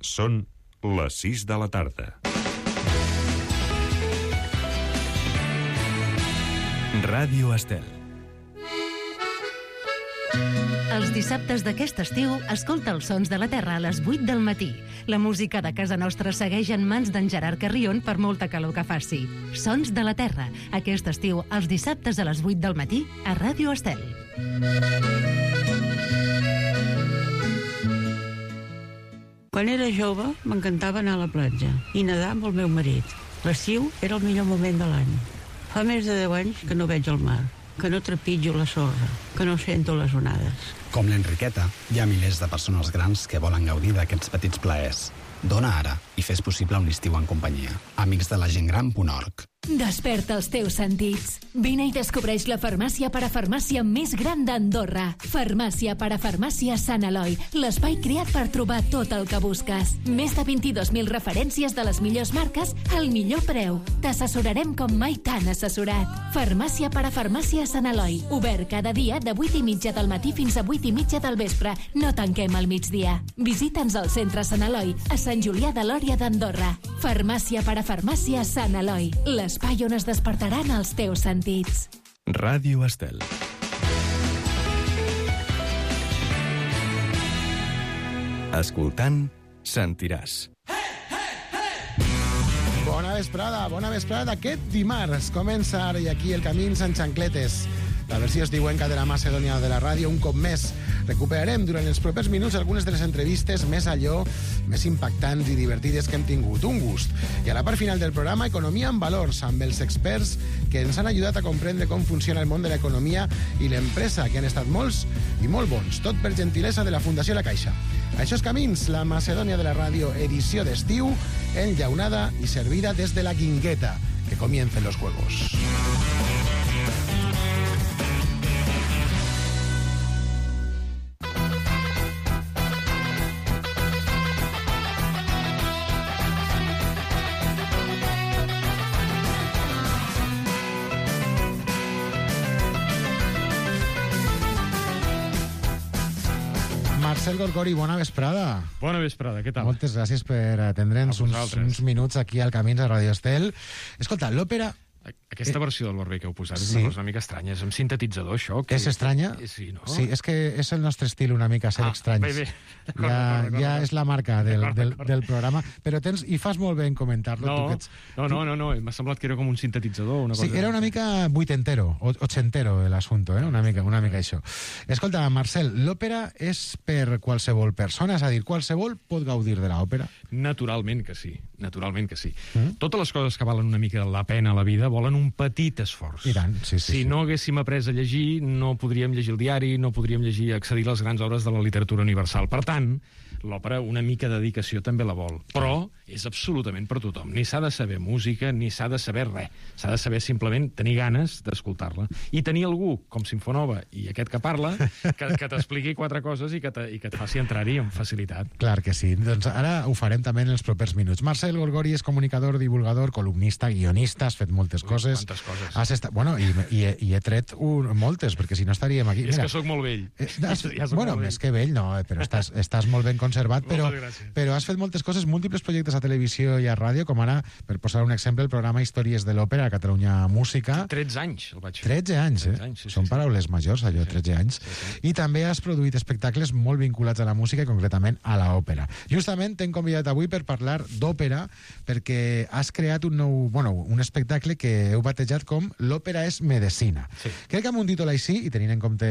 Són les 6 de la tarda. Ràdio Estel. Els dissabtes d'aquest estiu, escolta els sons de la Terra a les 8 del matí. La música de casa nostra segueix en mans d'en Gerard Carrion per molta calor que faci. Sons de la Terra, aquest estiu, els dissabtes a les 8 del matí, a Ràdio Estel. Quan era jove, m'encantava anar a la platja i nedar amb el meu marit. L'estiu era el millor moment de l'any. Fa més de 10 anys que no veig el mar, que no trepitjo la sorra, que no sento les onades. Com l'Enriqueta, hi ha milers de persones grans que volen gaudir d'aquests petits plaers. Dona ara i fes possible un estiu en companyia. Amics de la gentgran.org. Desperta els teus sentits. Vine i descobreix la farmàcia parafarmàcia més gran d'Andorra. Farmàcia parafarmàcia Sant Eloi, l'espai creat per trobar tot el que busques. Més de 22.000 referències de les millors marques al millor preu. T'assessorarem com mai t'han assessorat. Farmàcia parafarmàcia Sant Eloi, obert cada dia de 8:30 del matí fins a 8:30 del vespre. No tanquem al migdia. Visita'ns al centre Sant Eloi, a Sant Julià de Lòria d'Andorra. Farmàcia parafarmàcia Sant Eloi, l'espai on es despertaran els teus sentits. Ràdio Estel. Escoltant, sentiràs. Bona vesprada. Aquest dimarts comença ara i aquí el Camins en xancletes. La versió estiuenca de la Macedònia de la ràdio, un cop més. Recuperarem durant els propers minuts algunes de les entrevistes més impactants i divertides que hem tingut. Un gust. I a la part final del programa, Economia en Valors, amb els experts que ens han ajudat a comprendre com funciona el món de l'economia i l'empresa, que han estat molts i molt bons. Tot per gentilesa de la Fundació La Caixa. Això és Camins, la Macedònia de la ràdio, edició d'estiu, enllaunada i servida des de la Guingueta. Que comiencen los juegos. Marcel Gorgori, bona vesprada. Bona vesprada, què tal? Moltes gràcies per atendre'ns uns minuts aquí al Camins a Ràdio Estel. Escolta, l'òpera... Aquesta versió del Barber que heu posat és una cosa una mica estranya. És un sintetitzador, això. Que... És estranya? Sí, no? Sí, és que és el nostre estil una mica ser estranys. Bé. Ja és la marca del programa, però i fas molt bé en comentar-lo. No, m'ha semblat que era com un sintetitzador. Una cosa... Sí, era una mica vuitentero, ochentero l'assumpte, una mica això. Escolta, Marcel, l'òpera és per qualsevol persona? És a dir, qualsevol pot gaudir de l'òpera? Naturalment que sí. Totes les coses que valen una mica la pena a la vida volen un petit esforç. I tant, sí. Si no haguéssim après a llegir, no podríem llegir el diari, no podríem accedir a les grans obres de la literatura universal. Per tant, l'òpera una mica de dedicació també la vol. Però és absolutament per tothom. Ni s'ha de saber música, ni s'ha de saber res. S'ha de saber simplement tenir ganes d'escoltar-la. I tenir algú, com Sinfonova, i aquest que parla, que t'expliqui 4 coses i que et faci entrar-hi amb facilitat. Clar que sí. Doncs ara ho farem també en els propers minuts. Marcel Gorgori és comunicador, divulgador, columnista, guionista, has fet moltes coses. Quantes coses. Has estat... Bueno, i he tret moltes, perquè si no estaríem aquí... És que sóc molt vell. Bueno, més que vell, no, però estàs molt ben conservat, però has fet moltes coses, múltiples projectes a televisió i a ràdio, com ara, per posar un exemple, el programa Històries de l'Òpera a Catalunya Música. 13 anys el vaig fer. 13 anys, eh? Són paraules majors, allò, 13 anys. I també has produït espectacles molt vinculats a la música i concretament a l'òpera. Justament t'hem convidat avui per parlar d'òpera, perquè has creat un espectacle que heu batejat com L'òpera és medicina. Sí. Crec que amb un títol així, i tenint en compte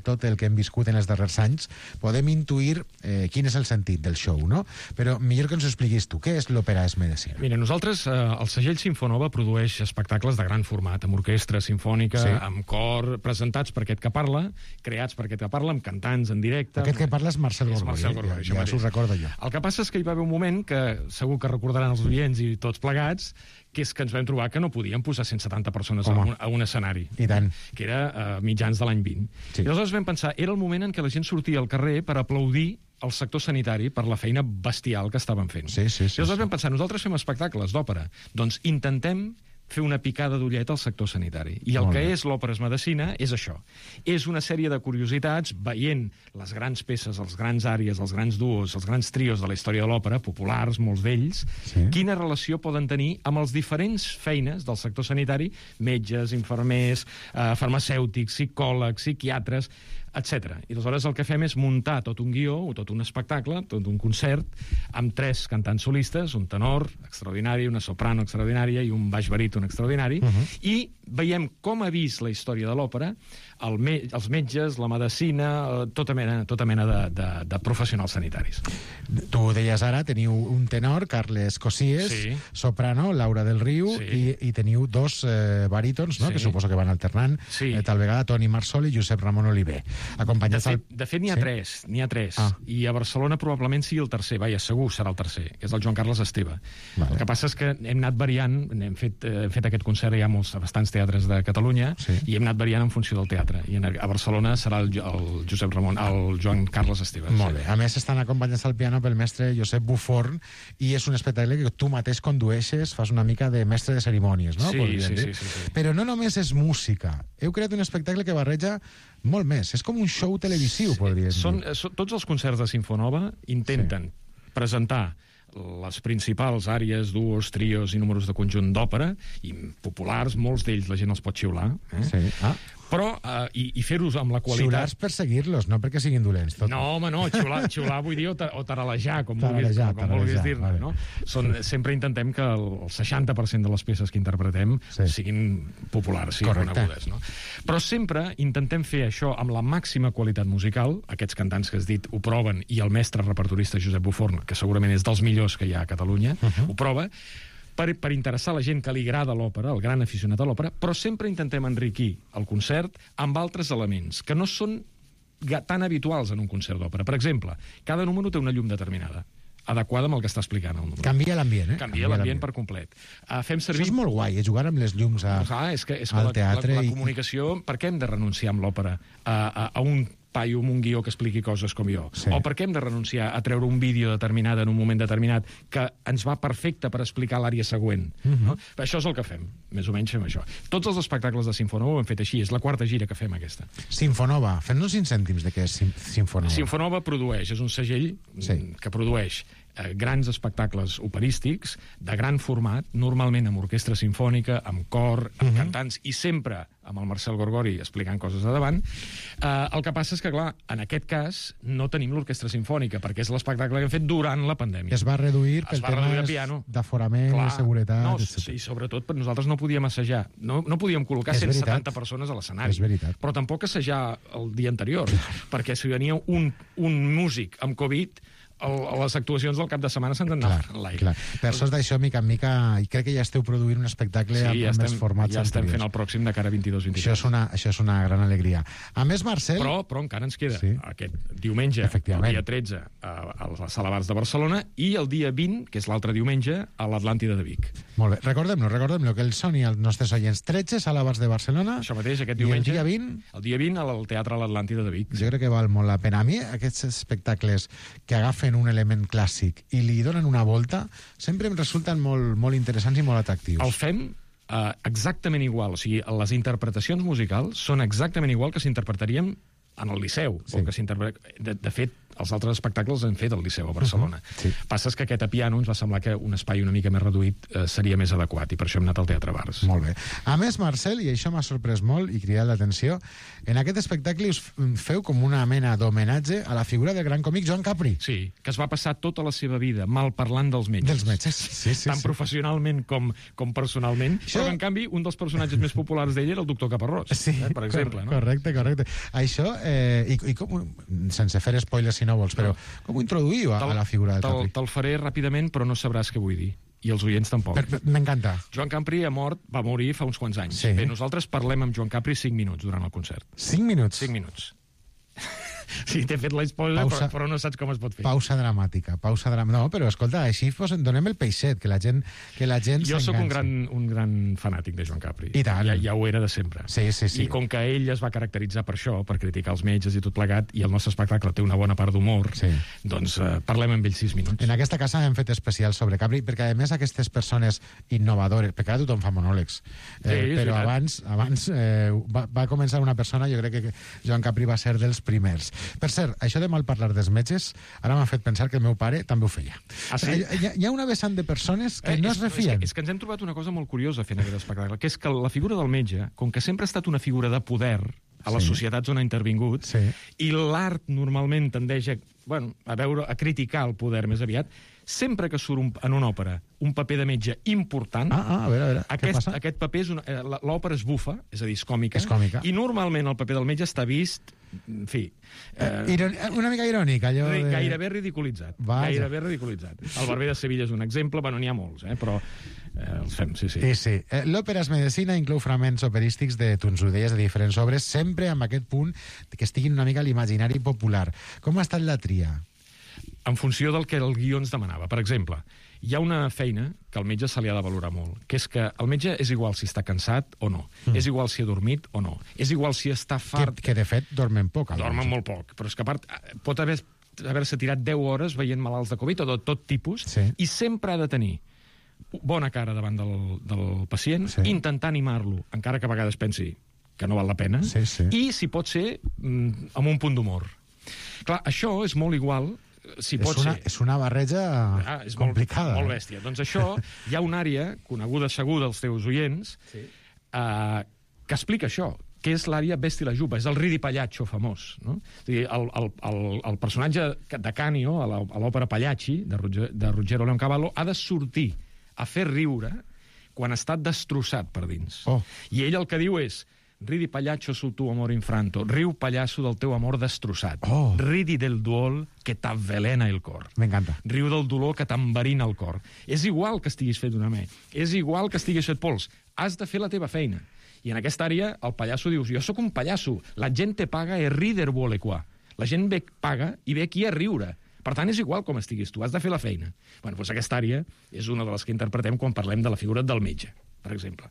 tot el que hem viscut en els darrers anys, podem intuir quin és el sentit del show, no? Però millor que ens ho expliquis tu. Què és l'òpera és medicina? Mira, nosaltres, el segell Sinfonova produeix espectacles de gran format, amb orquestra sinfònica, amb cor, presentats per aquest que parla, creats per aquest que parla, amb cantants en directe... Aquest que parla és Marcel Gorgori. Ja s'ho recordo jo. El que passa és que hi va haver un moment que segur que recordaran els oients i tots plegats, que és que ens vam trobar que no podíem posar 170 persones a un escenari. I tant. Que era mitjans de l'any 20. Sí. I aleshores vam pensar, era el moment en què la gent sortia al carrer per aplaudir el sector sanitari per la feina bestial que estaven fent. Sí. I aleshores vam pensar, nosaltres fem espectacles d'òpera, doncs intentem fer una picada d'ullet al sector sanitari. I el que és l'Òpera és Medicina és això. És una sèrie de curiositats, veient les grans peces, els grans àries, els grans duos, els grans trios de la història de l'òpera, populars, molts d'ells, quina relació poden tenir amb els diferents feines del sector sanitari, metges, infermers, farmacèutics, psicòlegs, psiquiatres, etc. I aleshores el que fem és muntar tot un guió, o tot un espectacle, tot un concert, amb 3 cantants solistes, un tenor extraordinari, una soprano extraordinària i un baix baríton extraordinari, i veiem com ha vist la història de l'òpera els metges, la medicina, tota mena de professionals sanitaris. Tu deies ara, teniu un tenor, Carles Cosies, soprano, Laura del Riu, i teniu 2 barítons, no? Que suposo que van alternant, tal vegada Toni Marsol i Josep Ramon Oliver. De fet, n'hi ha 3. I a Barcelona probablement sigui el tercer. Vaja, segur serà el tercer, que és el Joan Carles Esteve. El que passa és que hem anat variant, hem fet aquest concert ja a bastants teatres de Catalunya, i hem anat variant en funció del teatre. I a Barcelona serà el Joan Carles Esteve. Molt bé. A més, estan acompanyats al piano pel mestre Josep Buforn, i és un espectacle que tu mateix condueixes, fas una mica de mestre de cerimònies, no? Sí. Però no només és música. Heu creat un espectacle que barreja molt més. És com un show televisiu, podríem dir. Tots els concerts de Sinfonova intenten presentar les principals àries, duos, trios i números de conjunt d'òpera, i populars, molts d'ells la gent els pot xiular, però, i fer-ho amb la qualitat... Xiulars per seguir-los, no perquè siguin dolents. No, home, no, xiular vull dir, o taralejar, com vulguis dir-ne, no? Sempre intentem que el 60% de les peces que interpretem siguin populars, siguin conegudes, no? Però sempre intentem fer això amb la màxima qualitat musical, aquests cantants que has dit ho proven, i el mestre repertorista Josep Buforn, que segurament és dels millors que hi ha a Catalunya, ho prova, per interessar la gent que li agrada l'òpera, el gran aficionat a l'òpera, però sempre intentem enriquir el concert amb altres elements que no són tan habituals en un concert d'òpera. Per exemple, cada número té una llum determinada, adequada amb el que està explicant el número. Canvia l'ambient, Canvia l'ambient per complet. Fem servir... Això és molt guai, jugar amb les llums al teatre. La comunicació, per què hem de renunciar amb l'òpera a un paio amb un guió que expliqui coses com jo? O per què hem de renunciar a treure un vídeo determinat en un moment determinat que ens va perfecte per explicar l'àrea següent? Això és el que fem, més o menys fem això. Tots els espectacles de Sinfonova ho hem fet així, és la 4ª gira que fem aquesta. Sinfonova, fem-nos 5 cèntims de què és Sinfonova. Sinfonova produeix, és un segell que produeix grans espectacles operístics de gran format, normalment amb orquestra sinfònica, amb cor, amb cantants, i sempre amb el Marcel Gorgori explicant coses a davant. El que passa és que, clar, en aquest cas no tenim l'orquestra sinfònica, perquè és l'espectacle que hem fet durant la pandèmia. Es va reduir pel tema d'aforament, de seguretat, etc. I sobretot nosaltres no podíem assajar, no podíem col·locar 170 persones a l'escenari. És veritat. Però tampoc assajar el dia anterior, perquè si venia un músic amb Covid, les actuacions del cap de setmana s'han d'anar a l'aire. Per sort d'això, mica en mica, i crec que ja esteu produint un espectacle amb més formats anteriors. Ja estem fent el pròxim de cara a 22-23. Això és una gran alegria. A més, Marcel... Però encara ens queda aquest diumenge, el dia 13, a la Sala Bars de Barcelona, i el dia 20, que és l'altre diumenge, a l'Atlàntida de Vic. Molt bé. Recordem-lo, que el són i els nostres oients. 13, Sala Bars de Barcelona. Això mateix, aquest diumenge. I el dia 20? El dia 20 al Teatre a l'Atlàntida de Vic. Jo crec que val molt la pena. A mi, aquests espectacles que agafen un element clàssic i li donen una volta, sempre em resulten molt interessants i molt atractius. El fem exactament igual, o sigui, les interpretacions musicals són exactament igual que s'interpretaríem en el Liceu. De fet, els altres espectacles han fet al Liceu a Barcelona. Passa és que aquest a piano ens va semblar que un espai una mica més reduït seria més adequat, i per això hem anat al Teatre Bars. Molt bé. A més, Marcel, i això m'ha sorprès molt i cridat l'atenció, en aquest espectacle us feu com una mena d'homenatge a la figura del gran còmic Joan Capri. Sí, que es va passar tota la seva vida mal parlant dels metges. Dels metges, sí. Tant professionalment com personalment, però en canvi un dels personatges més populars d'ell era el doctor Caparrós, per exemple. Correcte. Això, i com, sense fer spoilers si no vols, però com ho introduïu a la figura del Capri? Te'l faré ràpidament, però no sabràs què vull dir. I els oients tampoc. M'encanta. Joan Capri va morir fa uns quants anys. Bé, nosaltres parlem amb Joan Capri 5 minuts durant el concert. 5 minuts? 5 minuts. Sí, t'he fet la spoiler, però no saps com es pot fer. Pausa dramàtica. No, però escolta, així donem el peixet, que la gent Jo sóc s'enganxi. un gran fanàtic de Joan Capri. I tant. Ja ho era de sempre. Sí. I com que ell es va caracteritzar per això, per criticar els metges i tot plegat, i el nostre espectacle té una bona part d'humor, doncs parlem amb ell 6 minuts. En aquesta casa hem fet especial sobre Capri, perquè a més aquestes persones innovadores, perquè ara tothom fa monòlegs, però abans va començar una persona, jo crec que Joan Capri va ser dels primers. Per cert, això de mal parlar dels metges, ara m'ha fet pensar que el meu pare també ho feia. Ah, sí? Hi ha una vessant de persones que no es refien. És que ens hem trobat una cosa molt curiosa fent aquest espectacle, que és que la figura del metge, com que sempre ha estat una figura de poder a les societats on ha intervingut, i l'art normalment tendeix a criticar el poder més aviat, sempre que surt en una òpera un paper de metge important, a veure, aquest paper l'òpera és bufa, és a dir, és còmica, i normalment el paper del metge està vist, en fi... una mica irònic, allò de... Gairebé ridiculitzat. Gairebé ridiculitzat. El Barber de Sevilla és un exemple, n'hi ha molts, però els fem, sí. L'òpera és medicina, inclou fragments operístics de tonsudees de diferents obres, sempre amb aquest punt que estiguin una mica a l'imaginari popular. Com ha estat la tria? En funció del que el guió ens demanava. Per exemple, hi ha una feina que al metge se li ha de valorar molt, que és que el metge és igual si està cansat o no, és igual si ha dormit o no, és igual si està fart... Que de fet dormen poc. Dormen molt poc, però és que a part pot haver-se tirat 10 hores veient malalts de Covid o de tot tipus, i sempre ha de tenir bona cara davant del pacient, intentar animar-lo, encara que a vegades pensi que no val la pena, i, si pot ser, amb un punt d'humor. Clar, això és molt igual... És una barreja complicada. Molt bèstia. Doncs això, hi ha una àrea coneguda segur dels teus oients que explica això, que és l'àrea Vesti la Juba, és el Ridi Pagliaccio famós. No? El personatge de Canio, a l'òpera Pagliacci, de Ruggero Leoncavallo, ha de sortir a fer riure quan està destrossat per dins. I ell el que diu és: ridi pagliaccio sul tuo amore infranto, riu pallasso del teu amor destrossat. Ridi del duol que t'avvelena el cor. M'encanta. Riu del dolor que t'enverina el cor. És igual que estiguis fet una me, és igual que estiguis fet pols, has de fer la teva feina. I en aquesta àrea el pallasso dius: jo sóc un pallasso, la gent te paga e rider vuole qua. La gent paga i ve aquí a riure. Per tant, és igual com estiguis tu, has de fer la feina. Bueno, doncs aquesta àrea és una de les que interpretem quan parlem de la figura del metge, per exemple.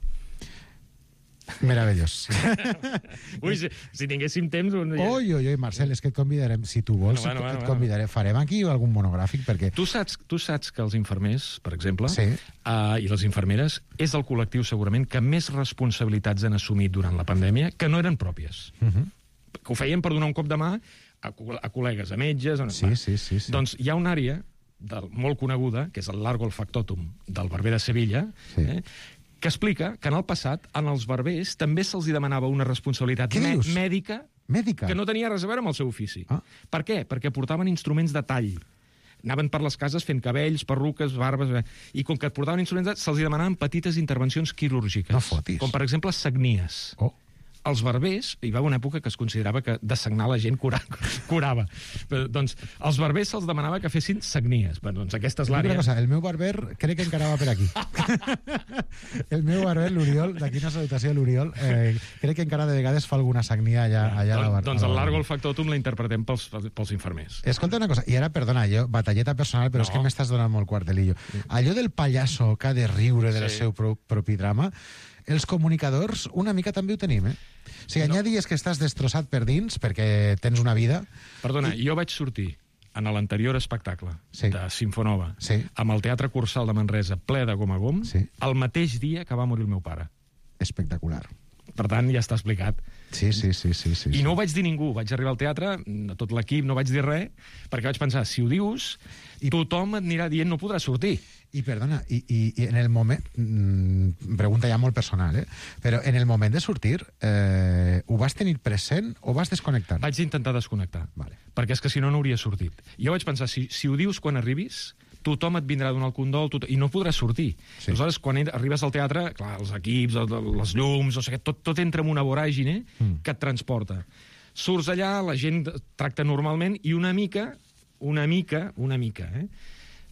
Meravellós. Ui, si tinguéssim temps... Oi, Marcel, és que et convidarem, si tu vols, et convidarem. Farem aquí algun monogràfic, perquè... Tu saps que els infermers, per exemple, i les infermeres, és el col·lectiu segurament que més responsabilitats han assumit durant la pandèmia que no eren pròpies. Que ho feien per donar un cop de mà a col·legues, a metges... Sí. Doncs hi ha una àrea molt coneguda, que és el Largo el Factotum del Barber de Sevilla, que explica que en el passat, en els barbers, també se'ls demanava una responsabilitat mèdica que no tenia res a veure amb el seu ofici. Per què? Perquè portaven instruments de tall. Anaven per les cases fent cabells, perruques, barbes... I com que portaven instruments, se'ls demanaven petites intervencions quirúrgiques. No fotis. Com, per exemple, sagnies. Els barbers, hi va una època que es considerava que de sagnar la gent curava. Però, doncs, als barbers se'ls demanava que fessin sagnies. Bueno, doncs aquesta és l'àrea. El meu barber crec que encara va per aquí. El meu barber, l'Oriol, d'aquí una salutació a l'Oriol, crec que encara de vegades fa alguna sagnia allà a la barba. Doncs el Largo el Factotum la interpretem pels infermers. Escolta una cosa, i ara, perdona, batalleta personal, però és que m'estàs donant molt quartelillo. Allò del pallasso que ha de riure del seu propi drama, els comunicadors una mica també ho tenim, O sigui, hi ha dies que estàs destrossat per dins perquè tens una vida... Perdona, jo vaig sortir en l'anterior espectacle de Sinfonova amb el Teatre Cursal de Manresa ple de gom a gom el mateix dia que va morir el meu pare. Espectacular. Per tant, ja està explicat. Sí. I no ho vaig dir ningú. Vaig arribar al teatre, a tot l'equip no vaig dir res, perquè vaig pensar, si ho dius, tothom et anirà dient no podràs sortir. I perdona, i en el moment... pregunta ja molt personal, però en el moment de sortir, ho vas tenir present o vas desconnectar? Vaig intentar desconnectar, perquè és que si no, no hauria sortit. Jo vaig pensar, si ho dius quan arribis, tothom et vindrà a donar el condol i no podràs sortir. Aleshores, quan arribes al teatre, clar, els equips, les llums, no sé què, tot entra en una voràgine que et transporta. Surts allà, la gent tracta normalment i una mica,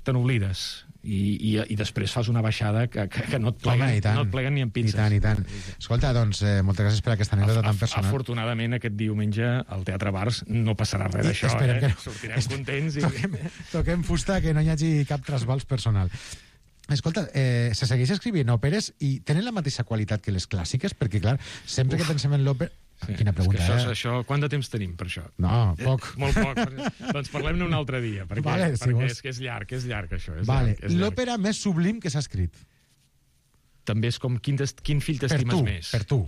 te n'oblides. I després fas una baixada que no et pleguen ni en pinces. I tant. Escolta, doncs, moltes gràcies per aquesta anècdota tan personal. Afortunadament, aquest diumenge al Teatre Bars no passarà res d'això. Sortirem contents. Toquem fusta, que no hi hagi cap trasbals personal. Escolta, se segueix escrivint òperes i tenen la mateixa qualitat que les clàssiques? Perquè, clar, sempre que pensem en l'òpera... Sí, quina pregunta, això, quant de temps tenim per això? No, poc. Molt poc. Doncs parlem-ne un altre dia, perquè és que és llarg, això. L'òpera més sublim que s'ha escrit. També és com quin fill t'estimes més. Per tu.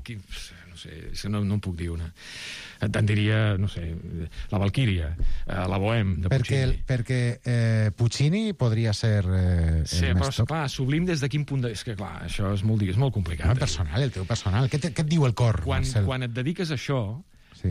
No sé, no en puc dir una. Te'n diria, no sé, la Valquíria, la Bohème, de Puccini. Perquè Puccini podria ser sí, però, clar, sublim des de quin punt és que, clar, això és molt complicat. El teu personal. Què et diu el cor, Marcel? Quan et dediques a això, sí.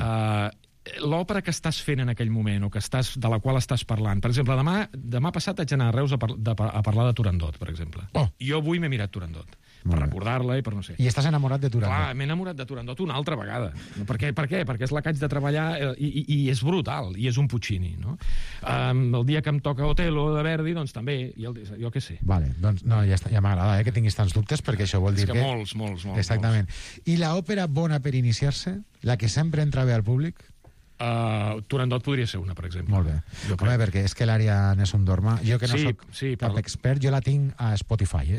L'òpera que estàs fent en aquell moment o de la qual estàs parlant, per exemple, demà passat haig d'anar a Reus a parlar de Turandot, per exemple. Jo avui m'he mirat Turandot per recordar-la i per no sé. I estàs enamorat de Turandot? Clar, m'he enamorat de Turandot una altra vegada. Per què? Perquè és la que haig de treballar i és brutal, i és un Puccini, no? El dia que em toca Otello de Verdi, doncs també, jo què sé. Vale, doncs no, ja m'agrada que tinguis tants dubtes, perquè això vol dir que... És que molts. Exactament. I l'òpera bona per iniciar-se? La que sempre entra bé al públic? Turandot podria ser una, per exemple. Molt bé. Home, perquè és que l'àrea Nessun Dorma, jo que no soc cap expert, jo la tinc a Spotify,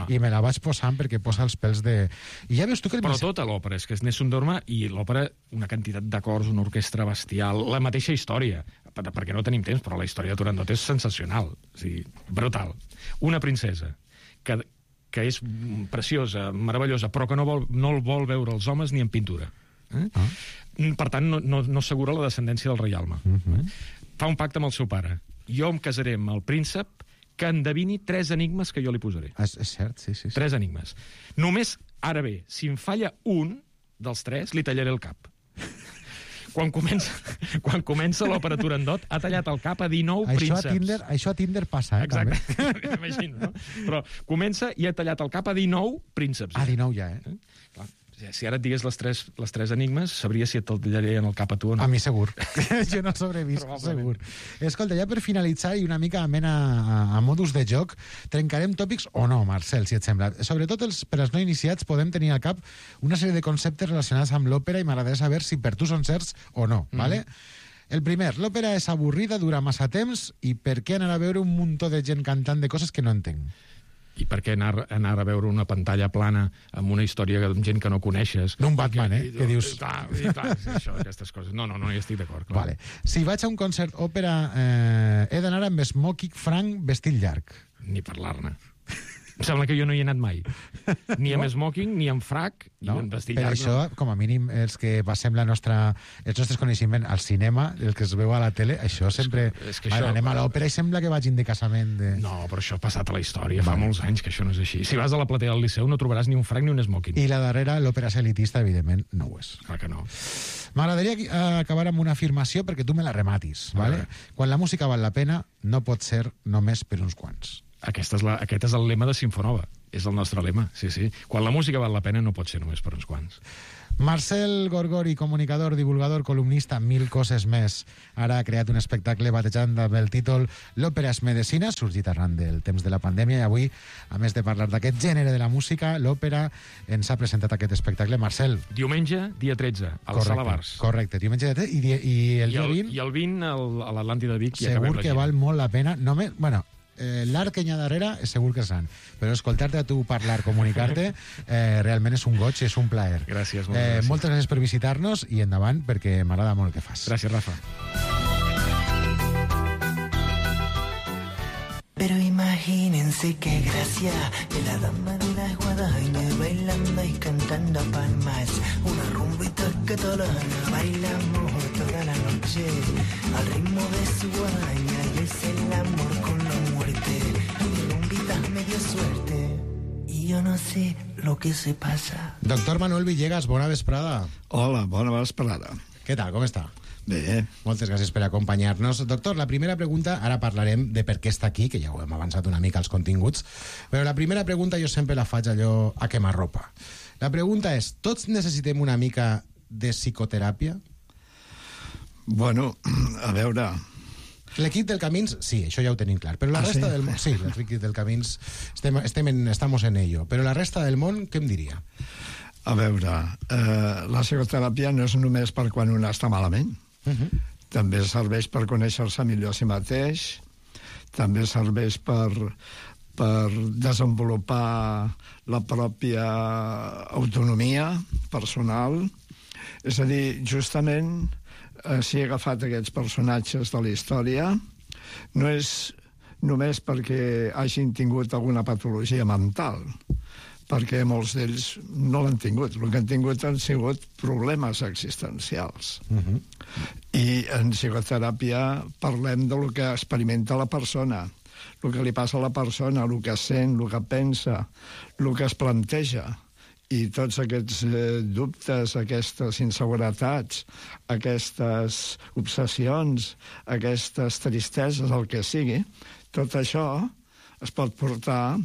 i me la vaig posant perquè posa els pèls de... I ja veus tu que... Però tota l'òpera, és que és Nessun Dorma i l'òpera, una quantitat d'acords, una orquestra bestial, la mateixa història, perquè no tenim temps, però la història de Turandot és sensacional, o sigui, brutal. Una princesa que és preciosa, meravellosa, però que no el vol veure els homes ni en pintura. Per tant, no assegura la descendència del reialme. Fa un pacte amb el seu pare. Jo em casaré amb el príncep que endevini 3 enigmes que jo li posaré. És cert, sí. 3 enigmes. Només, ara bé, si em falla un dels 3, li tallaré el cap. Quan comença l'òpera Turandot, ha tallat el cap a 19 prínceps. Això a Tinder passa, exacte. Imagino, no? Però comença i ha tallat el cap a 19 prínceps. A 19 ja, Clar. Si ara et digués les tres enigmes, sabria si et tallarien el cap a tu o no. A mi segur. Jo no sobrevist, segur. Escolta, ja per finalitzar i una mica a modus de joc, trencarem tòpics o no, Marcel, si et sembla. Sobretot per als no iniciats podem tenir al cap una sèrie de conceptes relacionats amb l'òpera i m'agradaria saber si per tu són certs o no, ¿vale? El primer, l'òpera és avorrida, dura massa temps i per què anar a veure un muntó de gent cantant de coses que no entenc? I per què anar a veure una pantalla plana amb una història amb gent que no coneixes? D'un Batman, que dius... Clar, això, aquestes coses. No hi estic d'acord. Vale. Si vaig a un concert òpera, he d'anar amb smoking franc vestit llarg. Ni parlar-ne. Em sembla que jo no hi he anat mai. Ni amb smoking, ni amb frac, ni amb vestit llarg. Per això, com a mínim, els que passem els nostres coneixements al cinema, el que es veu a la tele, això sempre... Anem a l'òpera i sembla que vagin de casament. No, però això ha passat a la història. Fa molts anys que això no és així. Si vas a la platea del Liceu no trobaràs ni un frac ni un smoking. I la darrera, l'òpera és elitista, evidentment, no ho és. Clar que no. M'agradaria acabar amb una afirmació perquè tu me la rematis. Vale? Quan la música val la pena, no pot ser només per uns quants. Aquest és el lema de Sinfonova. És el nostre lema, sí. Quan la música val la pena no pot ser només per uns quants. Marcel Gorgori, comunicador, divulgador, columnista, 1000 coses més. Ara ha creat un espectacle batejant amb el títol L'òpera és medicina, sorgit arran del temps de la pandèmia, i avui, a més de parlar d'aquest gènere de la música, l'òpera ens ha presentat aquest espectacle. Marcel. Diumenge, dia 13, a la Sala Bars. Correcte, diumenge dia 13 i el dia 20... I el 20 a l'Atlàntida de Vic. Segur que val molt la pena. Només, bueno, l'art que hi ha darrere segur que és gran, però escoltar-te a tu parlar, comunicar-te, realment és un goig, és un plaer. Gràcies, moltes gràcies. Moltes gràcies per visitar-nos i endavant, perquè m'agrada molt el que fas. Gràcies, Rafa. Pero imagínense qué gracia de la dama de la guadaña bailando y cantando palmas, una rumbita catalana, bailamos toda la noche al ritmo de su guadaña y es el amor con la muerte, mi rumbita me dio suerte y yo no sé lo que se pasa. Doctor Manuel Villegas, bona vesprada. Hola, bona vesprada. Què tal, com està? Bé. Moltes gràcies per acompanyar-nos. Doctor, la primera pregunta, ara parlarem de per què està aquí, que ja ho hem avançat una mica als continguts, però la primera pregunta jo sempre la faig allò a quemarropa. La pregunta és, tots necessitem una mica de psicoteràpia? Bueno, a veure, L'equip del Camins, sí, això ja ho tenim clar. Però la resta del món... Sí, l'equip del Camins, estamos en ello. Però la resta del món, què em diria? A veure, la psicoteràpia no és només per quan un està malament. També serveix per conèixer-se millor a si mateix, també serveix per desenvolupar la pròpia autonomia personal. És a dir, justament, si he agafat aquests personatges de la història, no és només perquè hagin tingut alguna patologia mental, perquè molts d'ells no l'han tingut. El que han tingut han sigut problemes existencials. I en psicoteràpia parlem del que experimenta la persona, el que li passa a la persona, el que sent, el que pensa, el que es planteja. I tots aquests dubtes, aquestes inseguretats, aquestes obsessions, aquestes tristeses, el que sigui, tot això es pot portar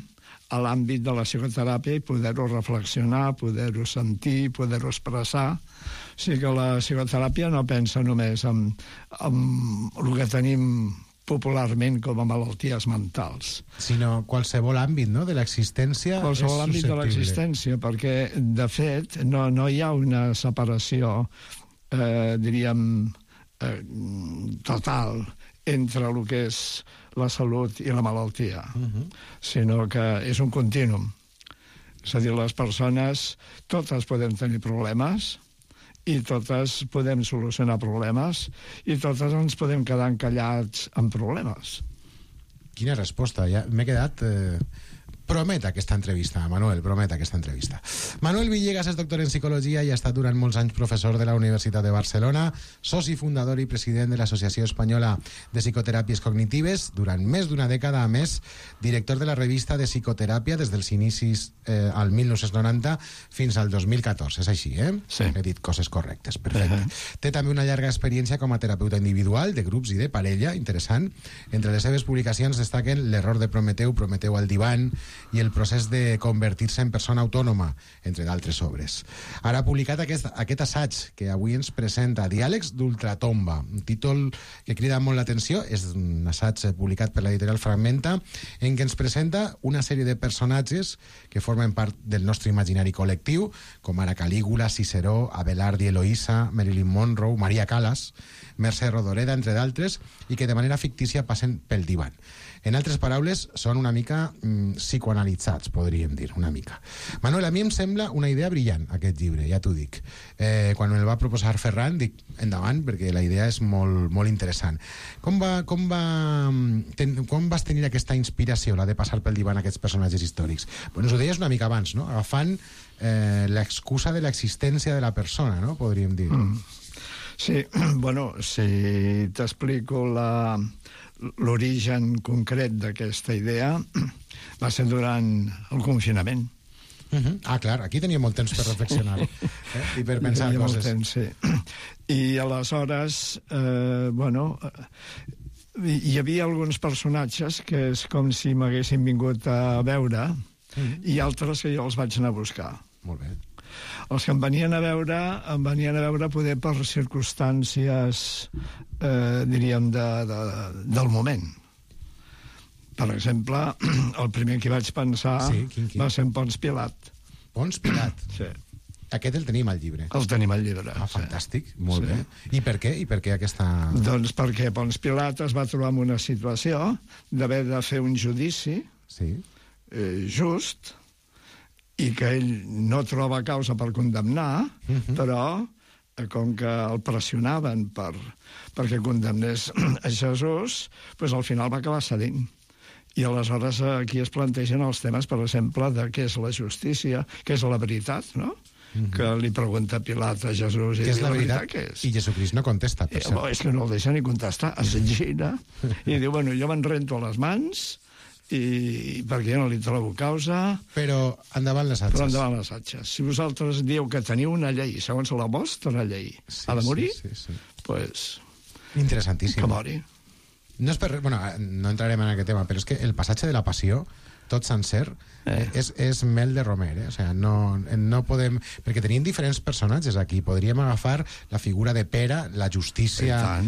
a l'àmbit de la psicoteràpia i poder-ho reflexionar, poder-ho sentir, poder-ho expressar. O sigui que la psicoteràpia no pensa només en el que tenim popularment com a malalties mentals. Sinó qualsevol àmbit, no?, de l'existència. Qualsevol àmbit de l'existència, perquè, de fet, no hi ha una separació, diríem, total entre el que és la salut i la malaltia, sinó que és un contínuum. És a dir, les persones, totes podem tenir problemes, i totes podem solucionar problemes, i totes ens podem quedar encallats amb problemes. Quina resposta. Ja m'he quedat... Promet aquesta entrevista, Manuel, promet aquesta entrevista. Manuel Villegas és doctor en psicologia i ha estat durant molts anys professor de la Universitat de Barcelona, soci fundador i president de l'Associació Espanyola de Psicoteràpies Cognitives, durant més d'una dècada, a més, director de la revista de psicoteràpia des dels inicis al 1990 fins al 2014. És així, eh? Sí. He dit coses correctes, perfecte. Té també una llarga experiència com a terapeuta individual, de grups i de parella, interessant. Entre les seves publicacions destaquen L'error de Prometeu, Prometeu al divan, i el procés de convertir-se en persona autònoma, entre d'altres obres. Ara ha publicat aquest assaig que avui ens presenta, Diàlegs d'ultratomba, un títol que crida molt l'atenció. És un assaig publicat per l'editorial Fragmenta, en què ens presenta una sèrie de personatges que formen part del nostre imaginari col·lectiu, com ara Calígula, Ciceró, Abelard i Eloïsa, Marilyn Monroe, Maria Callas, Mercè Rodoreda, entre d'altres, i que de manera fictícia passen pel divan. En altres paraules, són una mica psicoanalitzats, podríem dir, una mica. Manuel, a mi em sembla una idea brillant, aquest llibre, ja t'ho dic. Quan el va proposar Ferran, dic, endavant, perquè la idea és molt, molt interessant. Com vas tenir aquesta inspiració, la de passar pel divan aquests personatges històrics? Bueno, ho deies una mica abans, no? Agafant l'excusa de l'existència de la persona, no? Podríem dir. Sí, bueno, si t'explico l'origen concret d'aquesta idea, va ser durant el confinament. Ah, clar, aquí tenia molt temps per reflexionar i per pensar coses. Temps, sí. I aleshores, bueno, hi havia alguns personatges que és com si m'haguessin vingut a veure i altres que jo els vaig anar a buscar. Molt bé. Els que em venien a veure poder per circumstàncies, diríem, del moment. Per exemple, el primer que vaig pensar va ser en Pons Pilat. Pons Pilat? Sí. Aquest el tenim al llibre. El tenim al llibre. Ah, fantàstic, molt bé. I per què? I per què aquesta... Doncs perquè Pons Pilat es va trobar en una situació d'haver de fer un judici just, i que ell no troba causa per condemnar, però com que el pressionaven perquè condemnés a Jesús, doncs al final va acabar cedint. I aleshores aquí es plantegen els temes, per exemple, de què és la justícia, què és la veritat, no? Que li pregunta Pilat a Jesús. Què és la veritat? Què és? I Jesucrist no contesta, per cert. És que no el deixa ni contestar, es gira i diu, bueno, jo me'n rento a les mans i perquè jo no li trobo causa. Però endavant les atxes. Però endavant les atxes. Si vosaltres dieu que teniu una llei, segons la vostra llei, ha de morir, doncs... Interessantíssim. Que mori. No és per... Bueno, no entrarem en aquest tema, però és que el passatge de la passió tot sencer, és mel de romer, O sigui, no podem... Perquè tenien diferents personatges aquí. Podríem agafar la figura de Pere, la justícia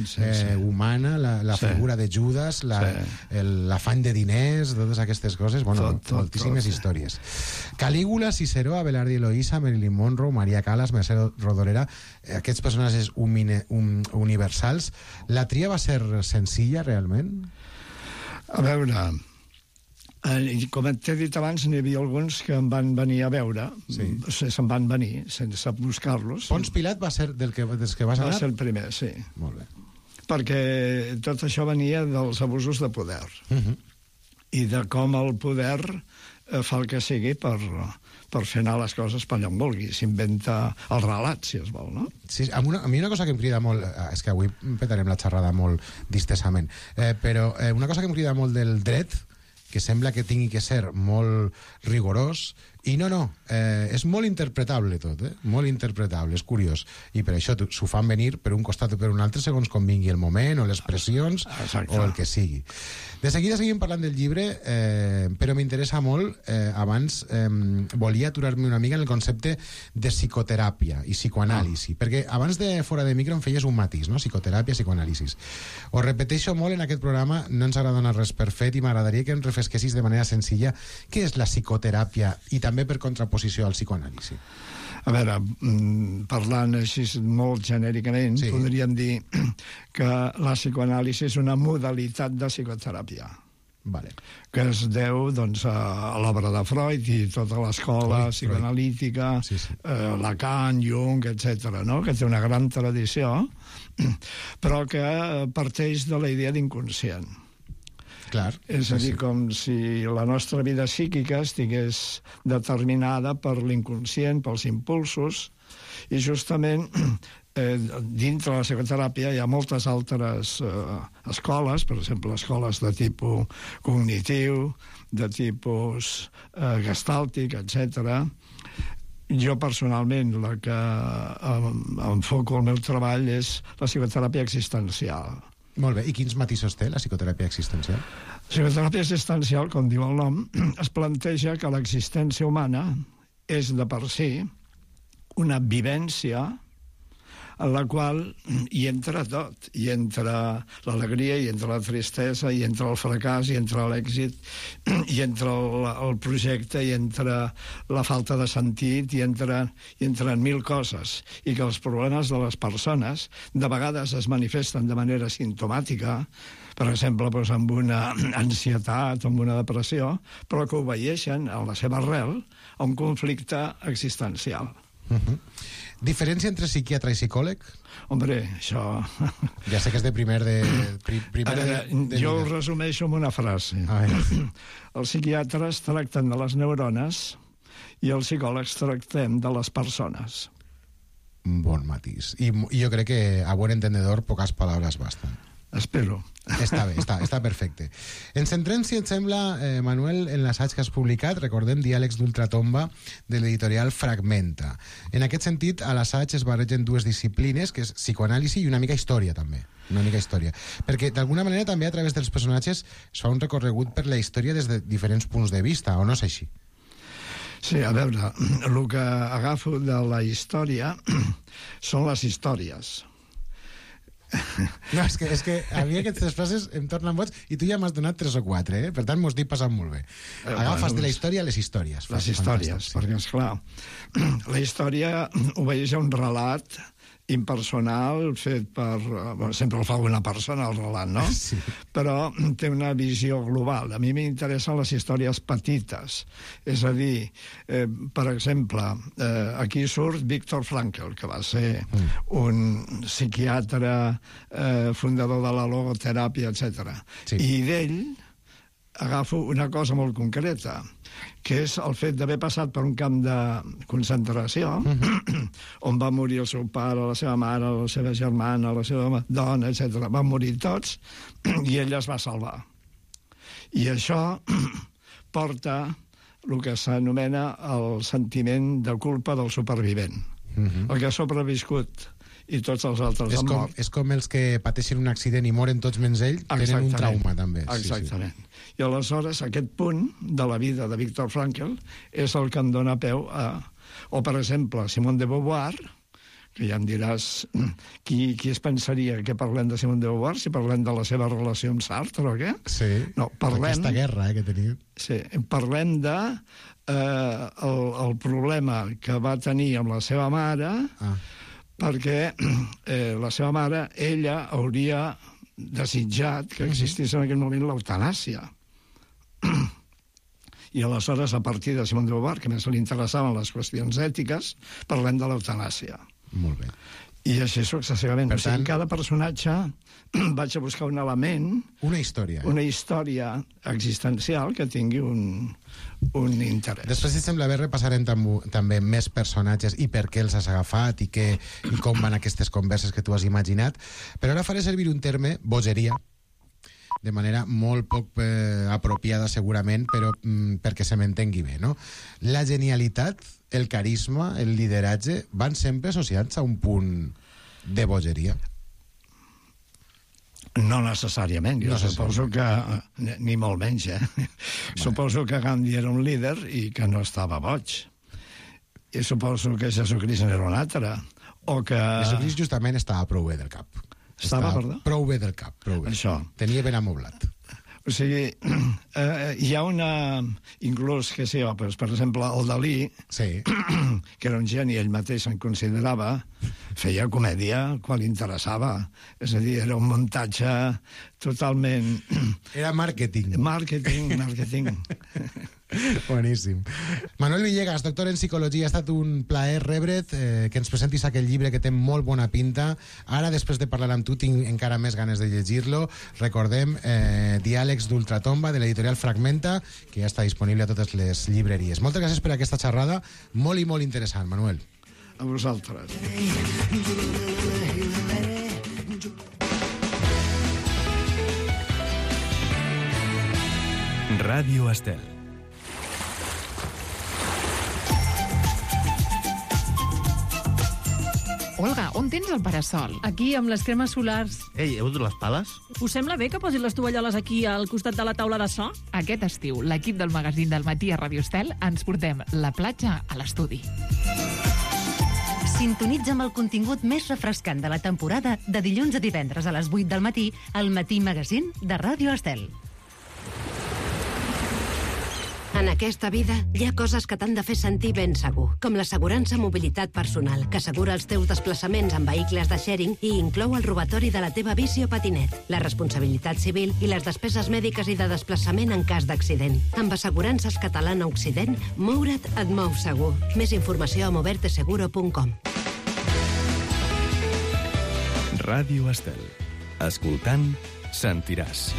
humana, la figura de Judas, l'afany de diners, totes aquestes coses. Bueno, moltíssimes històries. Calígula, Ciceró, Abelardo i Eloísa, Marilyn Monroe, Maria Callas, Mercè Rodoreda, aquests personatges universals. La tria va ser senzilla, realment? A veure... com t'he dit abans, n'hi havia alguns que em van venir a veure, se'n van venir sense buscar-los. Pons Pilat va ser dels que vas anar? Va ser el primer, sí. Molt bé. Perquè tot això venia dels abusos de poder. I de com el poder fa el que sigui per fer anar les coses per allà on vulgui. S'inventa el relat, si es vol, no? Sí, a mi una cosa que em crida molt... És que avui petarem la xerrada molt distesament, però una cosa que em crida molt del dret, que sembla que tingui que ser molt rigorós, i no, és molt interpretable tot, molt interpretable, és curiós, i per això s'ho fan venir per un costat o per un altre segons com vingui el moment, o les pressions, o el que sigui. De seguida seguim parlant del llibre, però m'interessa molt, abans volia aturar-me una mica en el concepte de psicoteràpia i psicoanàlisi, perquè abans de fora de micro em feies un matís, no? Psicoteràpia, psicoanàlisi. Ho repeteixo molt en aquest programa, no ens agrada donar res per fet, i m'agradaria que em refresquessis de manera senzilla què és la psicoteràpia i també per contraposició al psicoanàlisi. A veure, parlant així molt genèricament, podríem dir que la psicoanàlisi és una modalitat de psicoteràpia. Que es deu a l'obra de Freud i tota l'escola psicoanalítica, Lacan, Jung, etc., que té una gran tradició, però que parteix de la idea d'inconscient. És a dir, com si la nostra vida psíquica estigués determinada per l'inconscient, pels impulsos, i justament dintre la psicoteràpia hi ha moltes altres escoles, per exemple, escoles de tipus cognitiu, de tipus gestàltic, etc. Jo, personalment, la que enfoco el meu treball és la psicoteràpia existencial. Molt bé, i quins matisos té la psicoteràpia existencial? La psicoteràpia existencial, com diu el nom, es planteja que l'existència humana és de per si una vivència en la qual hi entra tot. Hi entra l'alegria, hi entra la tristesa, hi entra el fracàs, hi entra l'èxit, hi entra el projecte, hi entra la falta de sentit, hi entren mil coses. I que els problemes de les persones de vegades es manifesten de manera simptomàtica, per exemple, amb una ansietat o amb una depressió, però que obeeixen a la seva arrel a un conflicte existencial. Diferència entre psiquiatre i psicòleg? Hombre, això... Ja sé que és de primer de... Jo ho resumeixo amb una frase. Els psiquiatres tracten de les neurones i els psicòlegs tractem de les persones. Bon matís. I jo crec que a buen entendedor poques paraules basten. Espero. Està bé, està perfecte. Ens centrem, si et sembla, Manuel, en l'assaig que has publicat, recordem, Diàlegs d'ultratomba, de l'editorial Fragmenta. En aquest sentit, a l'assaig es barregen dues disciplines, que és psicoanàlisi i una mica història, també. Una mica història. Perquè, d'alguna manera, també a través dels personatges es fa un recorregut per la història des de diferents punts de vista, o no és així? Sí, a veure, el que agafo de la història són les històries. No, és que a mi aquestes frases em tornen boig i tu ja m'has donat 3 o 4, per tant m'ho estic passant molt bé. Agafes de la història les històries. Les històries, perquè esclar, la història obeeix a un relat impersonal fet per... sempre el fa una persona, el relat, no? Sí. Però té una visió global. A mi m'interessen les històries petites. És a dir, per exemple, aquí surt Viktor Frankl, que va ser un psiquiatre fundador de la logoteràpia, etc. Sí. I d'ell agafo una cosa molt concreta, que és el fet d'haver passat per un camp de concentració, on va morir el seu pare, la seva mare, la seva germana, la seva dona, etc. Van morir tots, i ell es va salvar. I això porta el que s'anomena el sentiment de culpa del supervivent. El que ha sobreviscut i tots els altres han mort. És com els que pateixen un accident i moren tots menys ell, tenen un trauma, també. Exactament. I aleshores, aquest punt de la vida de Viktor Frankl és el que em dona peu a... O, per exemple, Simone de Beauvoir, que ja em diràs qui es pensaria que parlem de Simone de Beauvoir, si parlem de la seva relació amb Sartre o què? Sí, no, aquesta guerra que tenia. Sí, parlem de el problema que va tenir amb la seva mare, perquè la seva mare, ella hauria desitjat que existís en aquell moment l'eutanàsia. I aleshores, a partir de Simone de Beauvoir, que més li interessaven les qüestions ètiques, parlem de l'eutanàsia. Molt bé. I així successivament. Per tant, cada personatge vaig a buscar un element... Una història. Una història existencial que tingui un interès. Després, si sembla bé, repassarem també més personatges i per què els has agafat i com van aquestes converses que tu has imaginat. Però ara faré servir un terme, bogeria, de manera molt poc apropiada segurament, però perquè se m'entengui bé, no? La genialitat, el carisma, el lideratge van sempre associats a un punt de bogeria. No necessàriament, jo suposo que ni molt menys, Suposo que Gandhi era un líder i que no estava boig. I suposo que Jesucrist era un altre. O que... Jesucrist justament estava prou bé del cap. Estava, perdó? Prou bé del cap, prou bé. Això. Tenia ben amoblat. O sigui, hi ha una... Inclús, que sé jo, per exemple, el Dalí, que era un geni, ell mateix se'n considerava, feia comèdia quan li interessava. És a dir, era un muntatge totalment... Era màrqueting. Màrqueting. Boníssim. Manuel Villegas, doctor en psicologia, ha estat un plaer rebre't, que ens presentis aquest llibre que té molt bona pinta. Ara, després de parlar amb tu, tinc encara més ganes de llegir-lo. Recordem, Diàlegs d'Ultratomba, de l'editorial Fragmenta, que ja està disponible a totes les llibreries. Moltes gràcies per aquesta xerrada, molt i molt interessant, Manuel. A vosaltres. Ràdio Estel. Olga, on tens el parasol? Aquí, amb les cremes solars. Ei, heu dut les pales? Us sembla bé que posin les tovalloles aquí al costat de la taula de so? Aquest estiu, l'equip del magazín del matí a Radio Estel ens portem la platja a l'estudi. Sintonitza amb el contingut més refrescant de la temporada de dilluns a divendres a les 8 del matí al Matí Magazín de Ràdio Estel. En aquesta vida hi ha coses que t'han de fer sentir ben segur, com l'assegurança mobilitat personal, que assegura els teus desplaçaments en vehicles de sharing i inclou el robatori de la teva bici o patinet, la responsabilitat civil i les despeses mèdiques i de desplaçament en cas d'accident. Amb Assegurances Catalana Occident, moure't et mou segur. Més informació a moverteseguro.com. Ràdio Estel. Escoltant, sentiràs.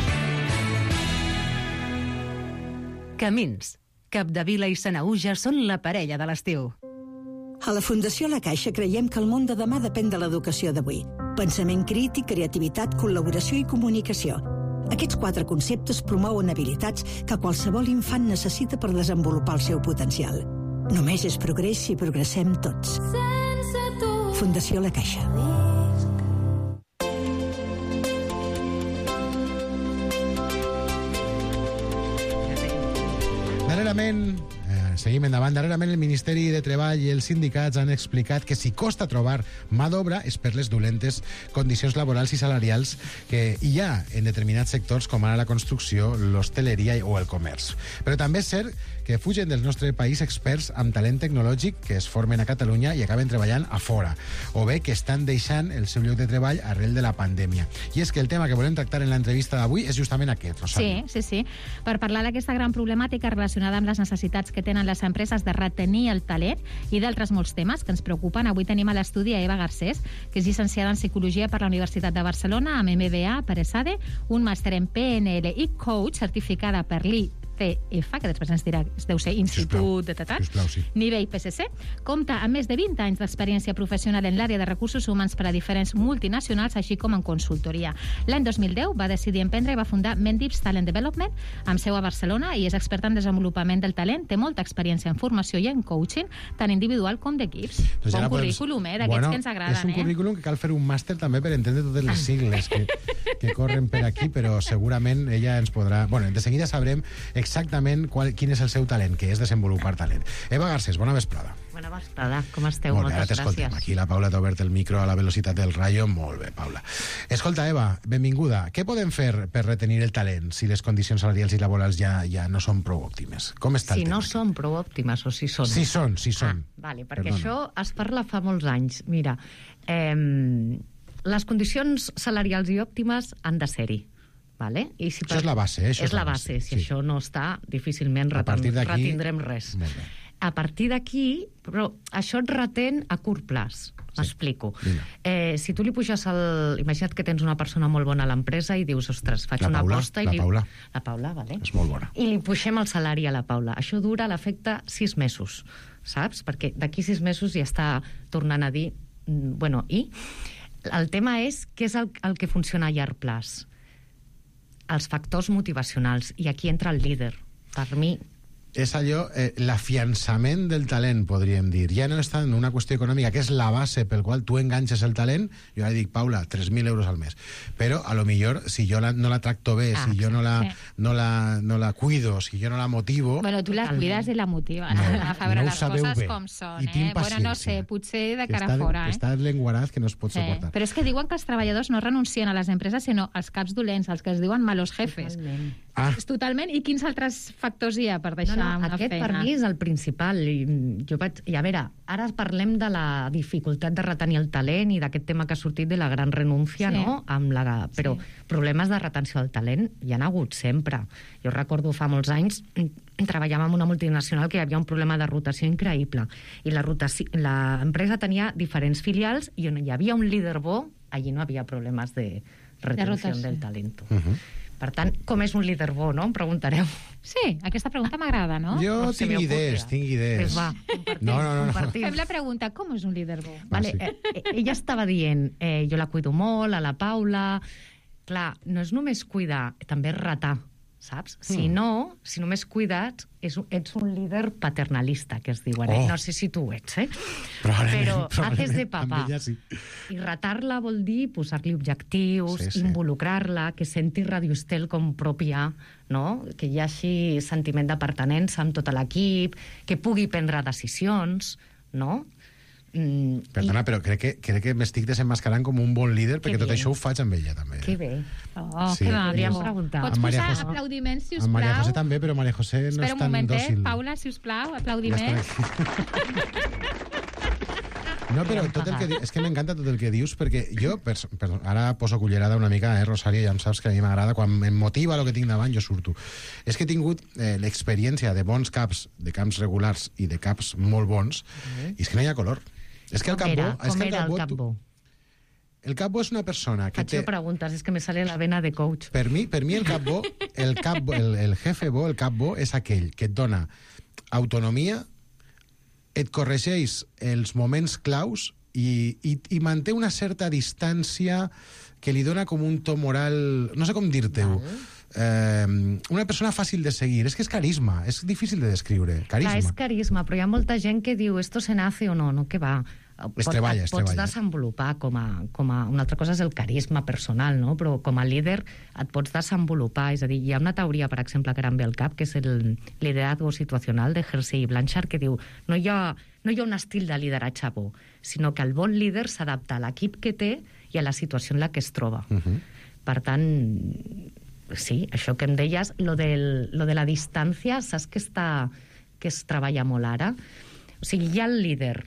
Camins. Capdevila i Sanaüja són la parella de l'estiu. A la Fundació La Caixa creiem que el món de demà depèn de l'educació d'avui. Pensament crític, creativitat, col·laboració i comunicació. Aquests 4 conceptes promouen habilitats que qualsevol infant necessita per desenvolupar el seu potencial. Només és progrés si progressem tots. Fundació La Caixa. Seguim endavant. Darrerament el Ministeri de Treball i els sindicats han explicat que si costa trobar mà d'obra és per les dolentes condicions laborals i salarials que hi ha en determinats sectors com ara la construcció, l'hostaleria o el comerç. Però també és cert que fugen del nostre país experts amb talent tecnològic que es formen a Catalunya i acaben treballant a fora, o bé que estan deixant el seu lloc de treball arrel de la pandèmia. I és que el tema que volem tractar en l'entrevista d'avui és justament aquest, Rosario. Sí. Per parlar d'aquesta gran problemàtica relacionada amb les necessitats que tenen les empreses de retenir el talent i d'altres molts temes que ens preocupen, avui tenim a l'estudi a Eva Garcés, que és llicenciada en Psicologia per la Universitat de Barcelona, amb MBA per ESADE, un màster en PNL i coach certificada per l'ICF ICF, que després ens dirà, deu ser Institut de Tatat, Sisplau, sí. nivell PSC, compta amb més de 20 anys d'experiència professional en l'àrea de recursos humans per a diferents multinacionals, així com en consultoria. L'any 2010 va decidir emprendre i va fundar Mendips Talent Development, amb seu a Barcelona, i és experta en desenvolupament del talent, té molta experiència en formació i en coaching, tant individual com d'equips. Doncs Bon ara currículum, d'aquests que ens agraden, és un currículum que cal fer un màster també per entendre totes les sigles que corren per aquí, però segurament ella ens podrà... Bueno, de seguida sabrem exactament quin és el seu talent, que és desenvolupar talent. Eva Garcés, bona vesprada. Bona vesprada, com esteu? Molt bé, ara Moltes t'escoltem. gràcies. Aquí la Paula t'ha obert el micro a la velocitat del rayo. Molt bé, Paula. Escolta, Eva, benvinguda. Què podem fer per retenir el talent si les condicions salarials i laborals ja no són prou òptimes? Com està el Si tema? no són prou òptimes o si són? Si són. Vale, perquè Perdona. això es parla fa molts anys. Mira, les condicions salarials i òptimes han de ser-hi. Vale? I si Això és la base, eh? Això és la base. Si això no està, difícilment retindrem res. Molt bé. A partir d'aquí, però això et retén a curt plaç. M'explico. Si tu li puges el... Imagina't que tens una persona molt bona a l'empresa i dius, ostres, faig La una Paula, aposta... la Paula. La Paula, vale. És molt bona. I li puixem el salari a la Paula. Això dura a l'efecte 6 mesos, saps? Perquè d'aquí 6 mesos ja està tornant a dir... Bueno, i el tema és què és el que funciona a llarg plaç. Els factors motivacionals. I aquí entra el líder. Per mi... És allò, l'afiançament del talent, podríem dir. Ja no és tant una qüestió econòmica, que és la base pel qual tu enganxes el talent. Jo ara dic, Paula, 3.000 euros al mes. Però, a lo millor, si jo no la tracto bé, si jo no la cuido, si jo no la motivo... Bueno, tu la cuides i la motives. A veure, les coses com són, Bueno, no sé, potser de cara a fora, Està l'enguarat que no es pot suportar. Però és que diuen que els treballadors no renuncien a les empreses, sinó als caps dolents, els que es diuen malos jefes. Totalment. I quins altres factors hi ha per deixar una aquest feina? per mi és el principal. I a veure, ara parlem de la dificultat de retenir el talent i d'aquest tema que ha sortit de la gran renúncia, no? Però problemes de retenció del talent hi ha hagut sempre. Jo recordo fa molts anys treballàvem en una multinacional que hi havia un problema de rotació increïble i l'empresa tenia diferents filials i on hi havia un líder bo, allí no havia problemes de retenció del talent. Per tant, com és un líder bo, no? Em preguntareu. Sí, aquesta pregunta m'agrada, no? Jo tinc idees. Pues va, No. Fem la pregunta, com és un líder bo? Vale, ella estava dient, jo la cuido molt, a la Paula... Clar, no és només cuidar, també és retar, saps? Si no, si només cuides, ets un líder paternalista, que es diuen. No sé si tu ho ets, Però haces de papà. I retar-la vol dir posar-li objectius, involucrar-la, que senti Radio Estel com pròpia, no? Que hi hagi sentiment de pertinença amb tot l'equip, que pugui prendre decisions, no? Perdona, però crec que m'estic desenmascarant com un bon líder, perquè tot això ho faig amb ella, també. Que bé. Que podríem preguntar. Pots posar aplaudiments, sisplau? Amb Maria José també, però Maria José no és tan dòcil. Paula, sisplau, aplaudiments. No, però tot el que és que m'encanta tot el que dius, perquè jo, ara poso cullerada una mica, Rosario, ja em saps que a mi m'agrada, quan em motiva el que tinc davant, jo surto. És que he tingut l'experiència de bons caps, de camps regulars i de caps molt bons, i és que no hi ha color. És que el cap bo... Com era el cap bo? El cap bo és una persona que té... Faig preguntes, és que me sale la vena de coach. Per mi el cap bo, el jefe bo, el cap bo, és aquell que et dona autonomia, et corregeix els moments claus i manté una certa distància que li dona com un to moral... No sé com dir-te-ho. Una persona fàcil de seguir. És que és carisma, és difícil de descriure. Carisma. Clar, és carisma, però hi ha molta gent que diu esto se nace o no, no, que va. Es treballa. Pots desenvolupar com a... Una altra cosa és el carisma personal, no? Però com a líder et pots desenvolupar. És a dir, hi ha una teoria, per exemple, que ara em ve al cap, que és el liderazgo situacional de Hersey i Blanchard, que diu no hi ha un estil de lideratge bo, sinó que el bon líder s'adapta a l'equip que té i a la situació en la que es troba. Per tant, sí, això que em deies, lo de la distància, saps que es treballa molt ara? O sigui, hi ha el líder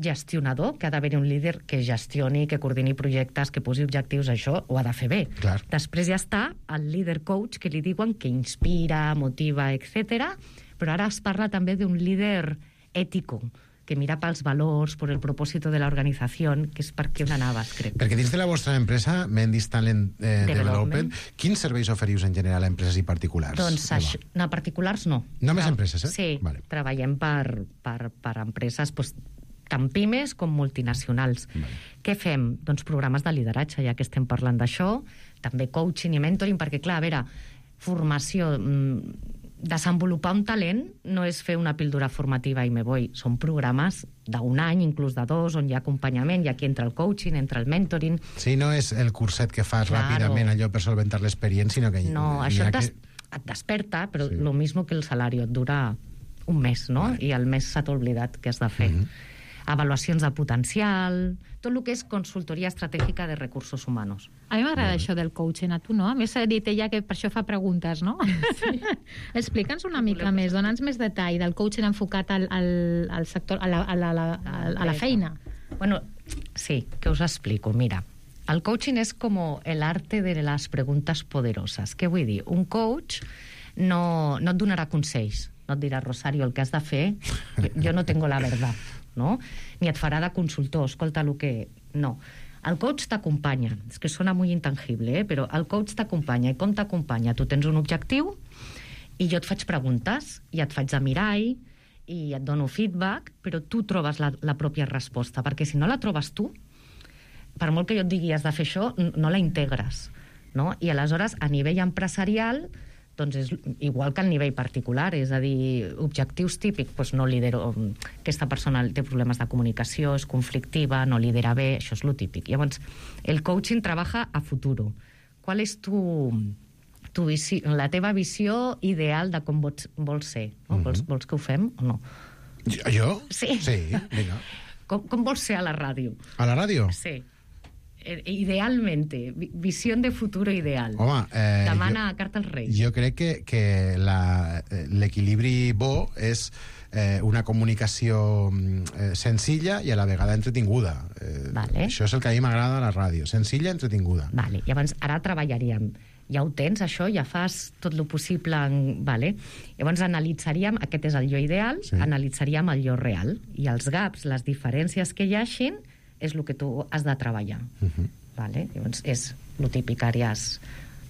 gestionador, que ha d'haver un líder que gestioni, que coordini projectes, que posi objectius, això ho ha de fer bé. Clar. Després ja està el líder coach, que li diuen que inspira, motiva, etc. Però ara es parla també d'un líder ètico, que mira pels valors, per el propòsito de l'organització, que és per què on anaves, crec. Perquè dins de la vostra empresa, Mendis Talent Development, quins serveis oferius en general a empreses i particulars? Doncs a particulars no. Només empreses, eh? Sí, vale. Treballem per empreses tant pimes com multinacionals. Vale. Què fem? Doncs programes de lideratge, ja que estem parlant d'això, també coaching i mentoring, perquè, clar, a veure, formació, desenvolupar un talent no és fer una píldora formativa i me voy, són programes d'un any, inclús de 2, on hi ha acompanyament, i aquí entra el coaching, entra el mentoring. Sí, no és el curset que fas ràpidament allò per solventar l'experiència, sinó que... No, això et desperta, però lo mismo que el salari, et dura un mes, no? Vale. I al mes s'ha oblidat que has de fer. Avaluacions de potencial, tot el que és consultoria estratègica de recursos humans. A mi m'agrada això del coaching, a tu no? A més, s'ha dit ella que per això fa preguntes, no? Sí. Explica'ns una mica més, dona'ns més detall del coaching enfocat al sector, a la feina. Bueno, sí, que us explico. Mira, el coaching és com el arte de les preguntes poderoses. Què vull dir? Un coach no et donarà consells, no et dirà, Rosario, el que has de fer, jo no tengo la verdad, no? Ni et farà de consultor, escolta el que... No. El coach t'acompanya, és que sona molt intangible, però el coach t'acompanya. I com t'acompanya? Tu tens un objectiu i jo et faig preguntes i et faig de mirall i et dono feedback, però tu trobes la pròpia resposta, perquè si no la trobes tu, per molt que jo et digui has de fer això, no la integres, no? I aleshores, a nivell empresarial, doncs és igual que a nivell particular, és a dir, objectius típics, doncs no lidero, aquesta persona té problemes de comunicació, és conflictiva, no lidera bé, això és lo típic. Llavors, el coaching treballa a futuro. Qual és la teva visió ideal de com vols ser? Vols que ho fem o no? Jo? Sí. Sí, vinga. Com vols ser a la ràdio? A la ràdio? Sí. Idealmente, visión de futuro ideal. Home, demana carta als Reis. Jo crec que l'equilibri bo és una comunicació senzilla i a la vegada entretinguda. Vale. Això és el que a mi m'agrada a la ràdio, senzilla i entretinguda. Vale. Llavors, ara treballaríem. Ja ho tens, això? Ja fas tot el possible? Vale. Llavors analitzaríem, aquest és el jo ideal, sí. Analitzaríem el jo real. I els gaps, les diferències que hi hagin, és el que tu has de treballar. Vale? Llavors, és lo típic, àrees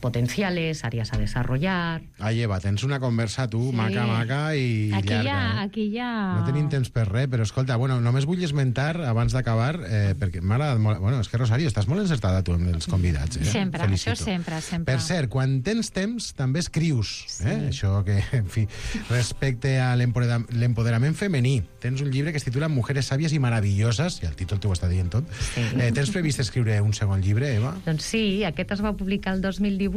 potenciales, àrees a desarrollar... Eva, tens una conversa tu, sí. maca, i aquí llarga. Aquí ja... No tenim temps per res, però escolta, bueno, només vull esmentar, abans d'acabar, perquè m'ha agradat molt... Bueno, és que, Rosario, estàs molt encertada tu amb els convidats, Sempre, Felicito. això sempre. Per cert, quan tens temps, també escrius, sí. Això que, en fi, respecte a l'empoderament femení. Tens un llibre que es titula Mujeres sàvies i maravilloses, i el títol t'ho està dient tot. Sí. Tens previst escriure un segon llibre, Eva? Doncs sí, aquest es va publicar el 2018,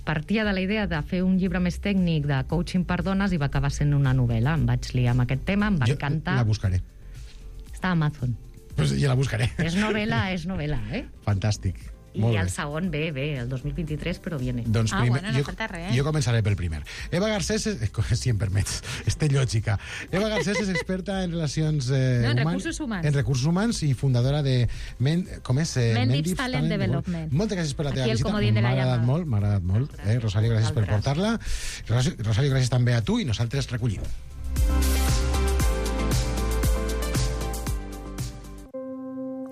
partia de la idea de fer un llibre més tècnic de coaching per dones i va acabar sent una novel·la. Em vaig liar amb aquest tema, em va encantar. La buscaré. Està a Amazon. Pues ja la buscaré. És novel·la, Fantàstic. I el segon ve, el 2023, però viene. Doncs bueno, no falta res. Jo començaré pel primer. Eva Garcés, si em permets, té lògica. Eva Garcés és experta en relacions en recursos humans. En recursos humans i fundadora de Mendis Talent Development. Moltes gràcies per la teva visita. M'ha agradat molt. Rosario, gràcies per portar-la. Rosario, gràcies també a tu i nosaltres recollim.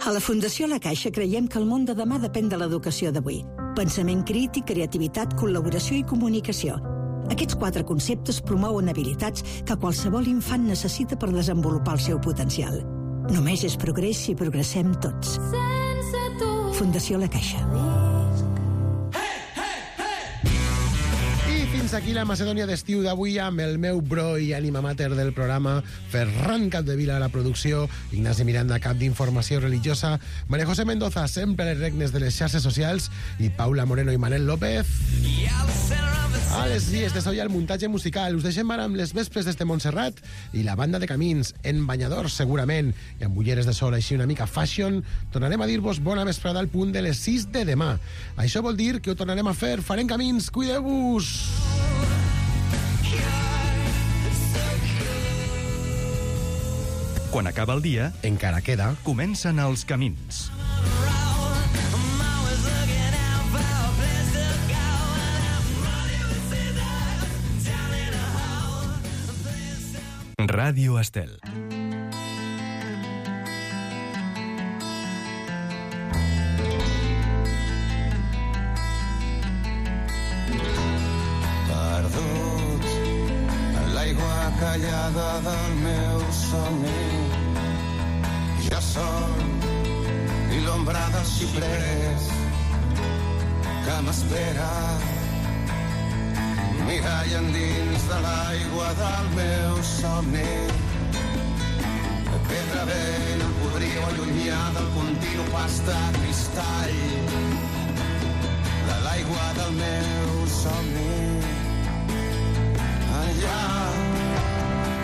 A la Fundació La Caixa creiem que el món de demà depèn de l'educació d'avui. Pensament crític, creativitat, col·laboració i comunicació. Aquests 4 conceptes promouen habilitats que qualsevol infant necessita per desenvolupar el seu potencial. Només és progrés si progressem tots. Fundació La Caixa. Fins aquí la Macedònia d'estiu d'avui amb el meu bro i ànima mater del programa, Ferran Capdevila a la producció, Ignasi Miranda, cap d'informació religiosa, María José Mendoza, sempre a les regnes de les xarxes socials, i Paula Moreno i Manel López. A les dies de soia el muntatge musical. Us deixem ara amb les vespres d'este Montserrat i la banda de Camins, en banyadors segurament, i amb ulleres de sol així una mica fashion. Tornarem a dir-vos bona vesprada al punt de les 6 de demà. Això vol dir que ho tornarem a fer. Farem Camins, cuideu-vos! Quan acaba el dia, encara queda. Comencen els camins. Ràdio Estel. callada del meu somni. Jo sol i l'ombra del xiprers que m'espera. Mirall endins de l'aigua del meu somni. Pedra ben em podria allunyar del continu pas de cristall de l'aigua del meu somni. Enllà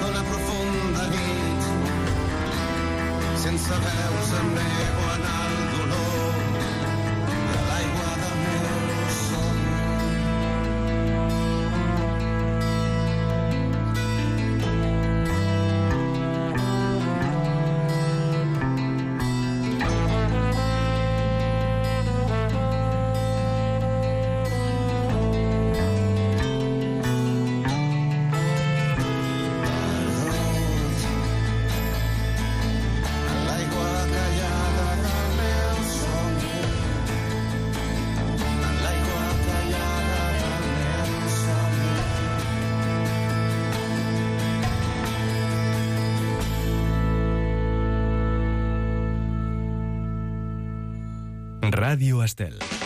d'una profunda nit, sense veus em nego en el dolor de l'aigua del meu somni. Ràdio Estel.